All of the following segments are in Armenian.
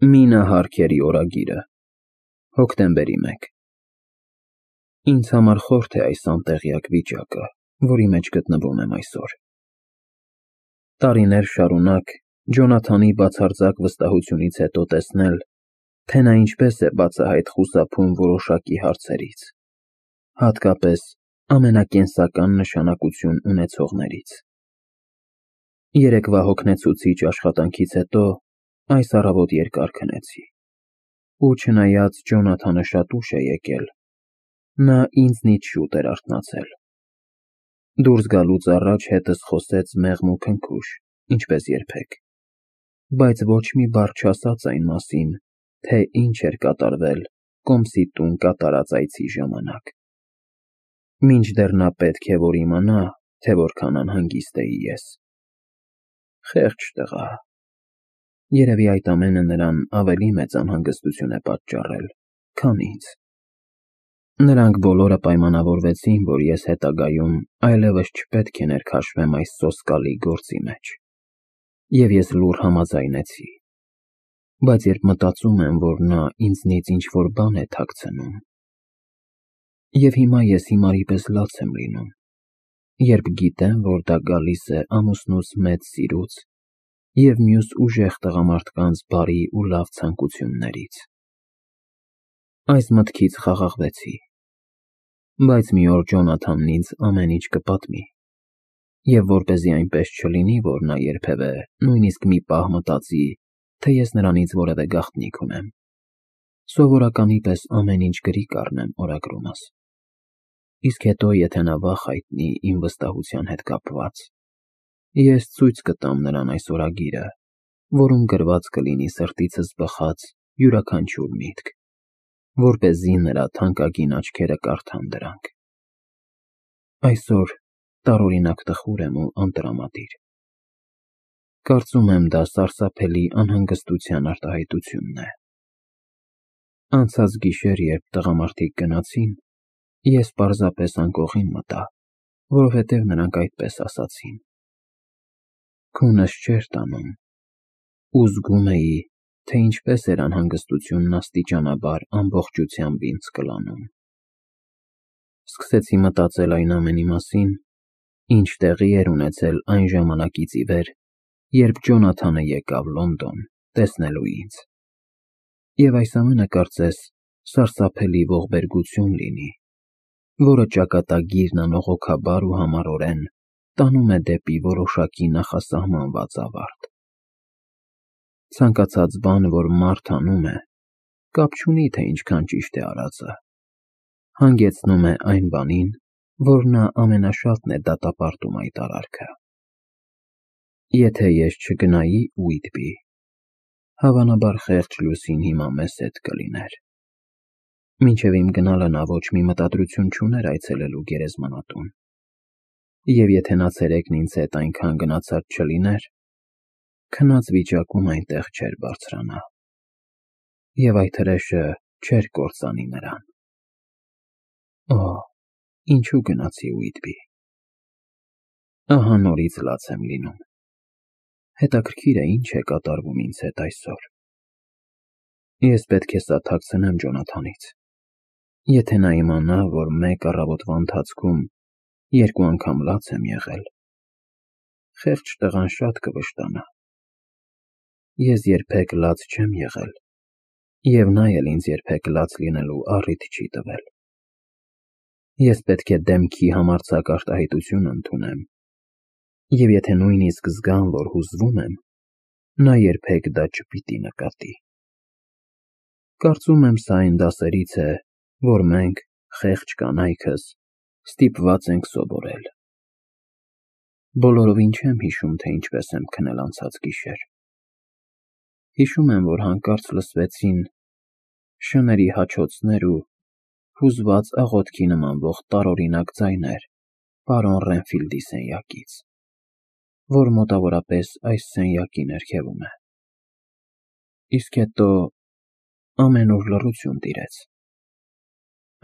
Մինա Հարքերի օրագիրը, հոկտեմբերի 1 Ինձ համար խորթ է այս անտեղյակ վիճակը, որի մեջ գտնվում եմ այսօր։ Տարիներ շարունակ Ջոնաթանի բացարձակ վստահությունից հետո տեսնել, թե նա ինչպես է բացահայտ խուսափում որոշակի հարցերից, հատկապես ամենակենսական նշանակություն ունեցողներից։ Երեկվա հոգնեցուցիչ աշխատանքից հետո այս առավոտ երկար քնեցի, ու չնայած Ջոնաթանը շատ ուշ է եկել, նա ինձնից շուտ էր արթնացել։ Դուրս գալուց առաջ հետս խոսեց մեղմ ու քնքուշ, ինչպես երբեք, բայց ոչ մի բառ չասաց այն մասին, թե ինչ էր կատարվել Կոմսի տուն կատարած այցի ժամանակ։ Մինչդեռ նա պետք է որ իմանա, թե որքան անհանգիստ էի ես։ Խեղճ տղա, երևի այդ ամենը նրան ավելի մեծ անհանգստություն է պատճառել, քան ինձ։ Նրանք բոլորը պայմանավորվեցին, որ ես հետագայում այլևս չպետք է ներքաշվեմ այս սոսկալի գործի մեջ, և ես լուռ համաձայնեցի, բայց երբ մտածում եմ, որ նա ինձնից ինչ-որ բան է թաքցնում, և հիմա ես հիմարի պես լաց եմ լինում, երբ գիտեմ, որ դա գալիս է ամուսնուս մեծ սիրուց և մյուս ուժեղ տղամարդկանց բարի ու լավ ցանկություններից։ Այս մտքից խաղաղվեցի, բայց մի օր Ջոնաթանն ինձ ամեն ինչ կպատմի, և որպեսզի այնպես չլինի, որ նա երբևէ նույնիսկ մի պահ մտածի, թե ես նրանից որևէ գաղտնիք ունեմ, սովորականի պես ամեն ինչ գրի կառնեմ օրագրումս, իսկ հետո, եթե նա վախ հայտնի իմ վստահության հետ կապված, ես ցույց կտամ նրան այս օրագիրը, որում գրված կլինի սրտիցս բխած յուրաքանչյուր միտք, որպեսզի նրա թանկագին աչքերը կարդան դրանք։ Այսօր տարօրինակ տխուր եմ ու անտրամադիր։ Կարծում եմ, դա սարսափելի անհանգստության արտահայտությունն է։ Անցած գիշեր, երբ տղամարդիկ գնացին, ես պարզապես անկողին մտա, որովհետև նրանք այդպես ասացին։ Քունս չէր տանում, ու զգում էի, թե ինչպես էր անհանգստությունն աստիճանաբար ամբողջությամբ ինձ կլանում։ Սկսեցի մտածել այն ամենի մասին, ինչ տեղի էր ունեցել այն ժամանակից ի վեր, երբ Ջոնաթանը եկավ Լոնդոն տեսնելու ինձ, և այս ամենը կարծես սարսափելի ողբերգություն լինի, որը ճակատագիրն անողոքաբար ու համառորեն տանում է դեպի որոշակի նախասահմանված ավարտ։ Ցանկացած բան, որ մարդ անում է, կապ չունի, թե ինչքան ճիշտ է արածը, հանգեցնում է այն բանին, որ նա ամենաշատն է դատապարտում այդ արարքը։ Եթե ես չգնայի Ուիթբի, հավանաբար խեղճ Լուսին հիմա մեզ հետ կլիներ։ Մինչև իմ գնալը նա ոչ մի մտադրություն չուներ այցելելու գերեզմանատուն, և եթե նա ցերեկն ինձ հետ այնքան գնացած չլիներ, քնած վիճակում այնտեղ չէր բարձրանա, և այդ հրեշը չէր կործանի նրան։ Օհ, ինչու գնացի Ուիթբի։ Ահա նորից լաց եմ լինում։ Հետաքրքիր է, ինչ է կատարվում ինձ հետ այսօր։ Ես պետք է սա թաքցնեմ Ջոնաթանից։ Եթե նա իմանա, որ մեկ առավոտվա ընթացքում երկու անգամ լաց եմ եղել, խեղճ տղան շատ կվշտանա։ Ես երբեք լաց չեմ եղել, և նա էլ ինձ երբեք լաց լինելու առիթ չի տվել։ Ես պետք է դեմքի համարձակ արտահայտություն ընդունեմ, և եթե նույնիսկ զգամ, որ հուզվում եմ, նա երբեք դա չպիտի նկատի։ Կարծում եմ, սա այն դասերից է, որ մենք, խեղճ կանայքս, ստիպված ենք սովորել։ Բոլորովին չեմ հիշում, թե ինչպես եմ քնել անցած գիշեր։ Հիշում եմ, որ հանկարծ լսվեցին շների հաչոցներ ու հուզված աղոթքի նմանվող տարօրինակ ձայներ պարոն Ռենֆիլդի սենյակից, որ մոտավորապես այս սենյակի ներքևում է։ Իսկ հետո ամենուր լռություն տիրեց,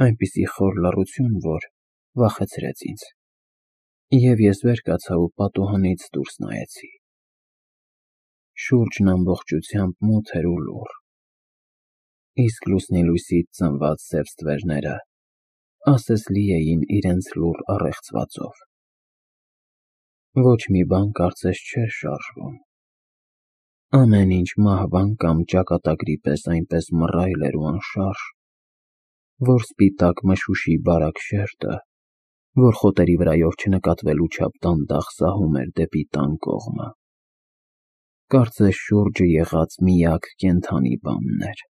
այնպիսի խոր լռություն, որ վախեցրեց ինձ, և ես վեր կացա ու պատուհանից դուրս նայեցի։ Շուրջն ամբողջությամբ մութ էր ու լուռ, իսկ լուսնի լույսից ծնված սև ստվերները ասես լի էին իրենց լուռ առեղծվածով։ Ոչ մի բան կարծես չէր շարժվում։ Ամեն ինչ մահվան կամ ճակատագրի պես այնպես մռայլ էր ու անշարժ, որ սպիտակ մշուշի բարակ շերտը, որ խոտերի վրայով չնկատվելու չափ դանդաղ սահում էր դեպի տան կողմը, կարծես շուրջը եղած միակ կենդանի բանն էր։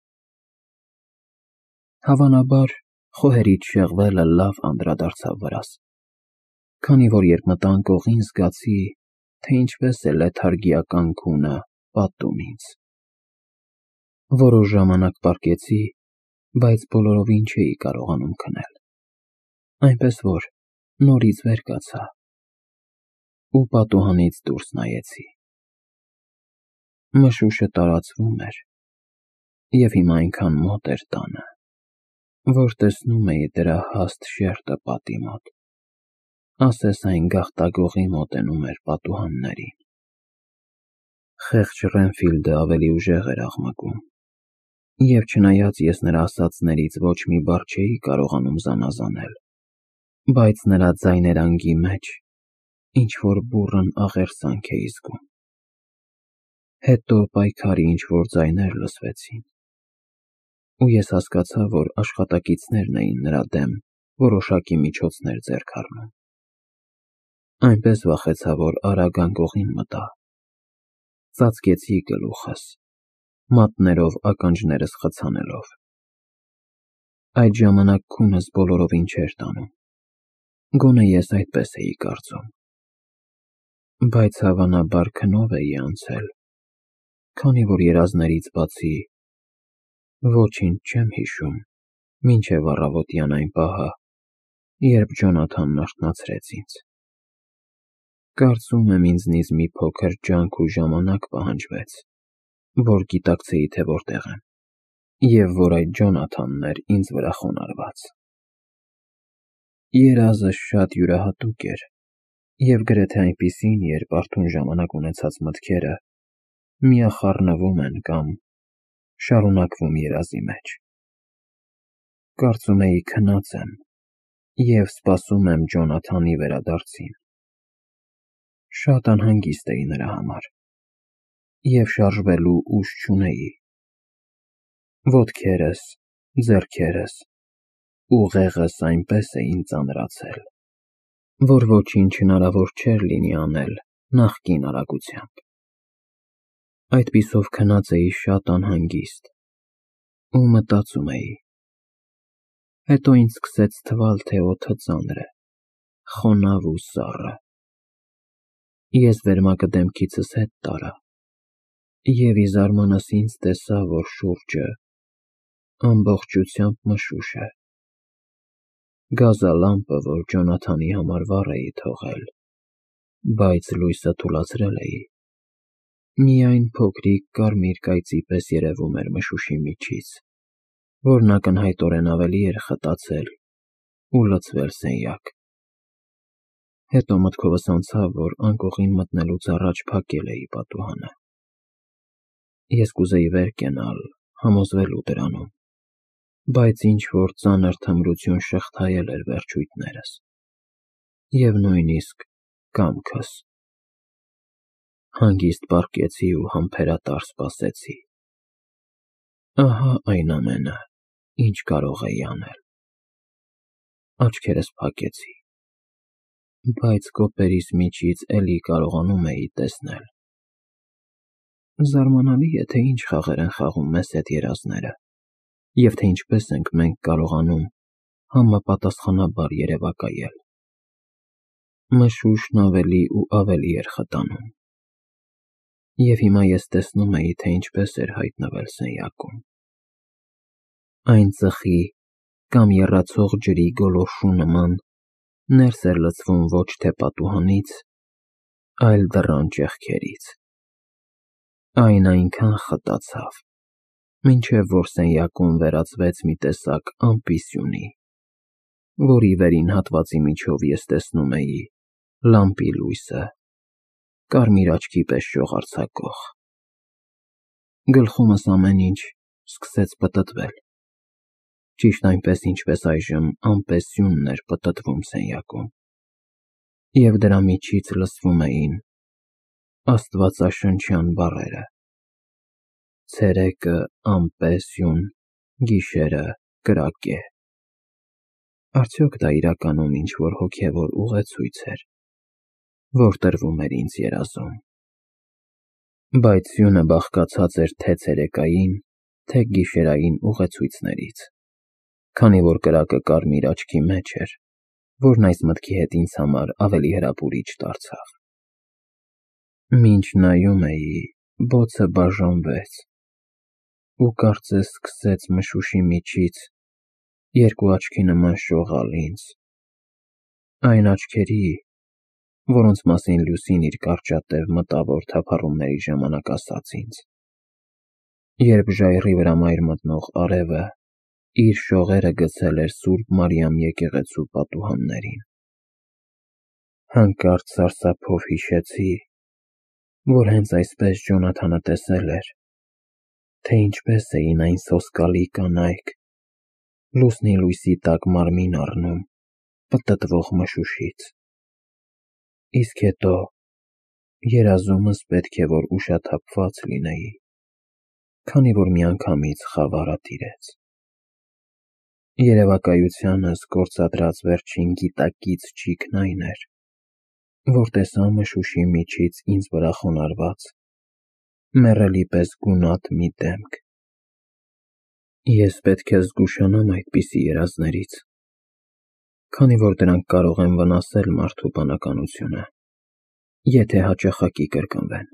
Հավանաբար, խոհերից շեղվելը լավ անդրադարձավ վրաս, քանի որ երբ մտանք օղին զգացի, թե ինչպես է լեթարգիական քունը պատում ինձ։ Որոշ ժամանակ պառկեցի, բայց բոլորովին չէի կարողանում քնել, այնպես որ նորից վեր կացա ու պատուհանից դուրս նայեցի։ Մշուշը տարածվում էր և հիմա այնքան մոտ էր տանը, որ տեսնում էի դրա հաստ շերտը պատի մոտ, ասես այն գաղտագողի մոտենում էր պատուհաններին։ Խեղճ Ռենֆիլդը ավելի ուժեղ էր աղմկում, և չնայած ես նրա ասածներից ոչ մի բառ չէի կարողանում զանազանել, բայց նրա ձայներանգի մեջ ինչ-որ բուռն աղերսանք էի զգում։ Հետո պայքարի ինչ-որ ձայներ լսվեցին, ու ես հասկացա, որ աշխատակիցներն էին նրա դեմ որոշակի միջոցներ ձեռք առնում։ Այնպես վախեցա, որ արագ անկողին մտա։ Ծածկեցի գլուխս, մատներով ականջներս խցանելով։ Այդ ժամանակ քունս բոլորովին չէր տանում, գոնե ես այդպես էի կարծում, բայց հավանաբար քնով էի անցել, քանի որ երազներից բացի ոչինչ չեմ հիշում մինչև առավոտյան այն պահը, երբ Ջոնաթանն արթնացրեց ինձ։ Կարծում եմ ինձնից մի փոքր ջանք ու ժամանակ պահանջվեց, որ գիտակցեի, թե որտեղ եմ, և որ այդ Ջոնաթանն էր ինձ վրա խոնարհված։ Երազը շատ յուրահատուկ էր, և գրեթե այնպիսին, երբ արթուն ժամանակ ունեցած մտքերը միախառնվում են կամ շարունակվում երազի մեջ։ Կարծում էի քնած եմ և սպասում եմ Ջոնաթանի վերադարձին։ Շատ անհանգիստ էի նրա համար և շարժվելու ուժ չունեի։ Ոտքերս, ձեռքերս, ուղեղս այնպես էին ծանրացել, որ ոչինչ հնարավոր չէր լինի անել նախկին արագությամբ։ Այդպիսով քնած էի շատ անհանգիստ ու մտածում էի։ Հետո ինձ սկսեց թվալ, թե օդը ծանր է, խոնավ ու սառը։ Ես վերմակը դեմքիցս հետ տարա և ի զարմանս ինձ տեսա, որ շուրջը ամբողջությամբ մշուշ է։ Գազալամպը, որ Ջոնաթանի համար վառ էի թողել, բայց լույսը թուլացրել էի, միայն փոքրիկ կարմիր կայծի պես երևում էր մշուշի միջից, որն ակնհայտորեն ավելի էր խտացել ու լցվել սենյակ։ Հետո մտքովս անցավ, որ անկողին մտնելուց առաջ փակել էի պատուհանը։ Ես կուզեի վեր կենալ, համոզվելու դրանում, բայց ինչ-որ ծանր թմրություն շղթայել էր վերջույթներս և նույնիսկ կամքս։ Հանգիստ պառկեցի ու համբերատար սպասեցի։ Ահա այն ամենը, ինչ կարող էի անել։ Աչքերս փակեցի, բայց կոպերիս միջից էլի կարողանում էի տեսնել։ Զարմանալի է, թե ինչ խաղեր են խաղում մեզ հետ երազները, և թե ինչպես ենք մենք կարողանում համապատասխանաբար երևակայել։ Մշուշն ավելի ու ավելի էր խտանում, և հիմա ես տեսնում էի, թե ինչպես էր հայտնվել սենյակում։ Այն ծխի կամ եռացող ջրի գոլորշու նման ներս էր լցվում ոչ թե պատուհանից, այլ դռան ճեղքերից։ Այն այնքան խտացավ, մինչև որ սենյակում վերածվեց մի տեսակ ամպիսյունի, որի վերին հատվածի միջով ես տեսնում էի լամպի լույսը, կարմիր աչքի պես շողարցակող։ Գլխումս ամեն ինչ սկսեց պտտվել, ճիշտ այնպես, ինչպես այժմ անպեսյունն էր պտտվում սենյակում, և դրա միջից լսվում էին աստվածաշնչյան բառերը. «Ցերեկը անպեսյուն, գիշերը կրակե»։ Արդյոք դա իրականում ինչ-որ հոգևոր ուղեցույց էր, որ տրվում էր ինձ երազում։ Բայց սյունը բաղկացած էր թե ցերեկային, թե գիշերային ուղեցույցներից, քանի որ կրակը կարմիր աչքի մեջ էր, որն այս մտքի հետ ինձ համար ավելի հրապուրիչ դարձավ։ Մինչ նայում էի, բոցը բաժանվեց, ու կարծես սկսեց մշուշի միջից երկու աչքի նման շողալ ինձ, այն աչքերի, որոնց մասին Լուսին իր կարճատև մտավոր թափառումների ժամանակ ասաց ինձ, երբ ժայռի վրա մայր մտնող արևը իր շողերը գցել էր Սուրբ Մարիամ եկեղեցու պատուհաններին։ Հանկարծ սարսափով հիշեցի, որ հենց այսպես Ջոնաթանը տեսել էր, թե ինչպես էին այն սոսկալի կանայք լուսնի լույսի տակ մարմին առնում պտտվող մշուշից, իսկ հետո երազումս պետք է որ ուշաթափված լինեի, քանի որ միանգամից խավարը տիրեց։ Երևակայությանս գործադրած վերջին գիտակից ճիգն այն էր, որ տեսա մշուշի միջից ինձ վրա խոնարհված, մեռելի պես գունատ մի դեմք։ Ես պետք է զգուշանամ այդպիսի երազներից, քանի որ դրանք կարող են վնասել մարդու բանականությունը, եթե հաճախակի կրկնվեն։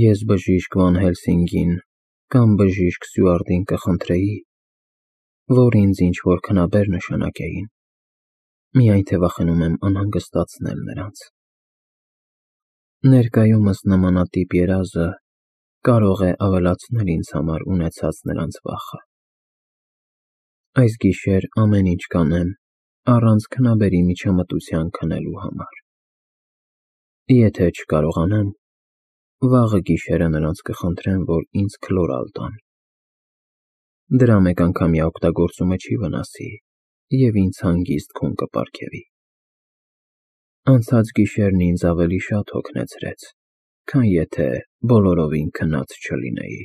Ես բժիշկ Վան Հելսինգին կամ բժիշկ Սյուարտին կխնդրեի, որ ինձ ինչ-որ քնաբեր նշանակեին, միայն թե վախենում եմ անհանգստացնել նրանց։ Ներկայումս նմանատիպ երազը կարող է ավելացնել ինձ համար ունեցած նրանց վախը։ Այս գիշեր ամեն ինչ կանեմ առանց քնաբերի միջամտության քնելու համար։ Եթե չկարողանամ, վաղը գիշերը նրանց կխնդրեմ, որ ինձ քլորալ տան։ Դրա մեկանգամյա օգտագործումը չի վնասի և ինձ հանգիստ քուն կպարգևի։ Անցած գիշերն ինձ ավելի շատ հոգնեցրեց, քան եթե բոլորովին քնած չլինեի։